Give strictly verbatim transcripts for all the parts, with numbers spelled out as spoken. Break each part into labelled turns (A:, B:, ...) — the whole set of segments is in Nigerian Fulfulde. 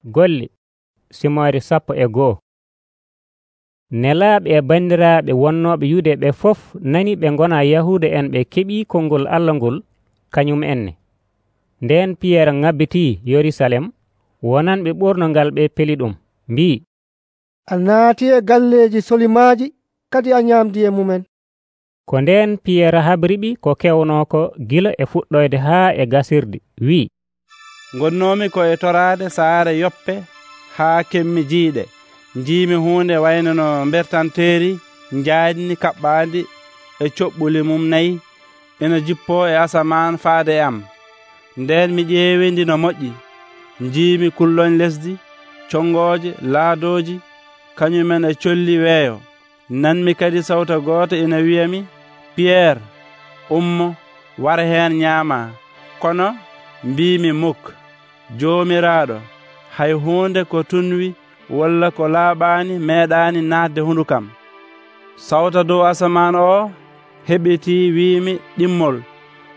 A: Golle Simoore sappo e goo. Nelaaɓe e banndiraaɓe wonnooɓe Yude ɓe fof nani ɓe ngonaa Yahuuda en ɓe keɓii konngol Allah ngol kañum enne. Ndeen Piyeer ŋabbitii Yerusalem, wonanɓe ɓornongal ɓe peli ɗum, mbi'i,
B: “A naatii e galleeji solimaaji, kadi a nyaamdii e mumen.”
A: Ko ndeen Piyeer habriɓi ko kewnoo ko gila e fuɗɗoyde haa e gasirde, wi'i,
C: “Ngonnoomi ko e toraade saare Yoppe haa kemmi jiiɗe. Njiimi huunde wayno no mbertanteeri njaaɗni kaɓɓaandi e coɓɓuli mum nayi ina jippoo e asamaan faade e am. Nden mi ƴeewindi no moƴƴi. Njiimi kulloñ lesdi, congooje, laadooji, kañumen e colli weeyo. Nanmi kadi sawta gooto ina wi'ami, ‘Piyeer, ummo, wara heen ñaamaa.’ Kono mbiimi, ‘Mukk, Joomiraaɗo, hay huunde ko tunwi walla ko laaɓaani meeɗaani naatde hundukam.’ Sawta dow asamaan oo heɓitii wiimi ɗimmol,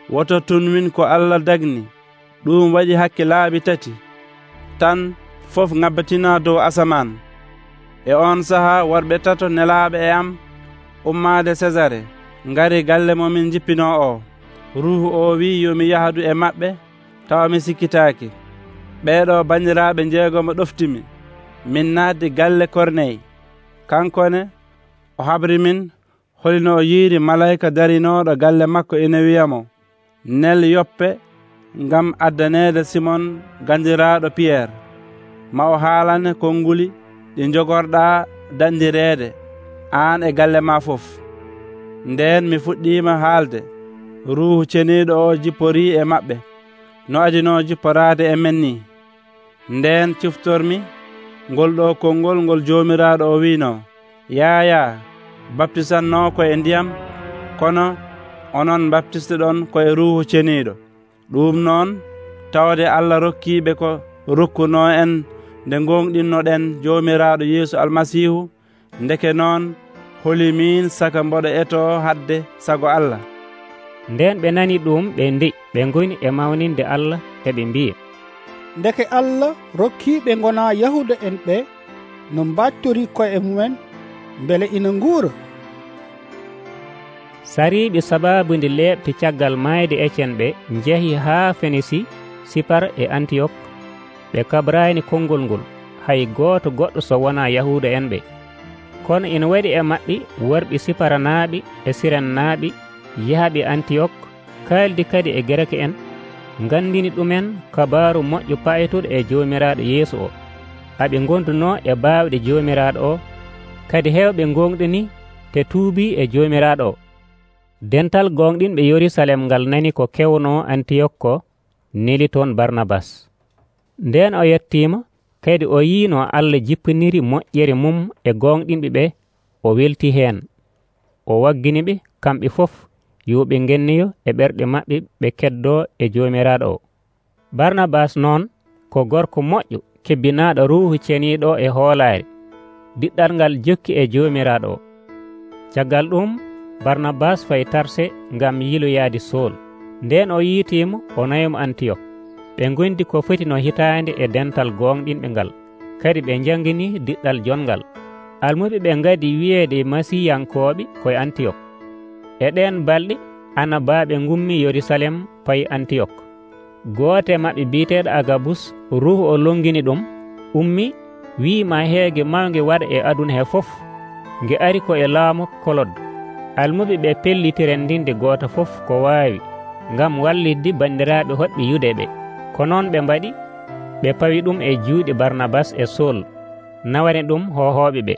C: ‘Woto tunwin ko Allah dagni.’ Ɗum waɗi hakke laabi tati tan fof ŋabbitinaa dow asamaan. E on sahaa worɓe tato nelaaɓe e am ummaade Sesare ngari galle mo min jippinoo oo. Ruuhu oo wi'i yo mi yahdu e maɓɓe, tawa mi sikkitaaki. Ɓeeɗoo banndiraaɓe jeegom ɗoftimi min naatdi galle Korney. Kankone o habri min holino o yiiri malayka darinooɗo galle makko ina wi'amo, ‘Nel Yoppe ngam addaneede Simon gandiraaɗo Piyeer. Ma o haalane konnguli ɗi jogorɗaa dandireede aan e galle ma fof.’ Ndeen mi fuɗɗiima haalde, Ruuhu Ceniiɗo o jipporii e maɓɓe no adinoo jipporaade e men ni. Ndeen ciftormi ngol ɗoo konngol ngol Joomiraaɗo o wiinoo, ‘Yaaya baptisannoo koye ndiyam, kono onon baptisteɗon koye Ruuhu Ceniiɗo.’ Ɗum noon tawde Allah rokkiiɓe ko rokkunoo en nde gonɗinnoɗen Joomiraaɗo Yeesu Almasiihu, ndeke noon holimin saka mboɗo etoo hadde sago Allah.”
A: Nden ɓe nani ɗum ɓe nde'i, ɓe ngoni e mawninde Allah e ɓe mbiya,
D: ndeke Allah rokkiiɓe ngonaa Yahuuda en ɓe no mbaatorii ko'e mumen mbele ina nguura.
A: Sariiɓe sabaabu nde leeɓti caggal maayde Ecen ɓe njehi haa Fenisi, Sipar e Antiyok. Ɓe kabraani konngol ngol hay gooto goɗɗo so wonaa Yahuuda en ɓe. Kono ina waɗi e maɓɓe worɓe Siparanaaɓe e Sirennaaɓe yahɓe Antiyok, kaaldi kadi e Gereke en, ngandini ɗumen kabaaru moƴƴo paytuɗo e Joomiraaɗo Yeesu o. Aɓe gondunoo e baawɗe Joomiraaɗo o, kadi heewɓe gonɗini te tuubii e Joomiraaɗo o. Dental gonɗinɓe Yerusalem ngal nani ko kewnoo Antiyok ko, neli toon Barnabas. Nden o yettiima, kadi o yii no Allah jippiniri moƴƴere mum e gonɗinɓe ɓe, o weltii heen. O waggini ɓe kamɓe fof yo ɓe ngennoyo e ɓerɗe maɓɓe ɓe keddoo e Joomiraaɗo o. Barnabas noon ko gorko moƴƴo kebbinaaɗo Ruuhu Ceniiɗo e hoolaare, diɗɗal ngal jokki e Joomiraaɗo o. Caggal ɗum Barnabas fayi Tarse ngam yiloyaade Sool. Nden o yiitiimo o nayomo Antiyok. Ɓe ngondi ko foti no hitaande e dental gonɗinɓe ngal, kadi ɓe janngini diɗɗal jongal. Almuɓe ɓe ngadi wiyeede Masiiyankooɓe koye Antiyok. E ɗeen balɗe Anabaaɓe ngummi Yerusalem payi Antiyok. Gooto e maɓɓe biyeteeɗo Agabus, Ruuhu o longini ɗum, ummi wii ma heege mawnge waɗa e aduna he fof, nge ari ko e laamu Kolod. Almuɓe ɓe pellitiren ndinde gooto fof ko waawi ngam wallidde banndiraaɓe hoɗɓe Yude ɓe. Ko noon ɓe mbaɗi, ɓe pawi ɗum e juuɗe Barnabas e Sool, nawani ɗum hohooɓe ɓe.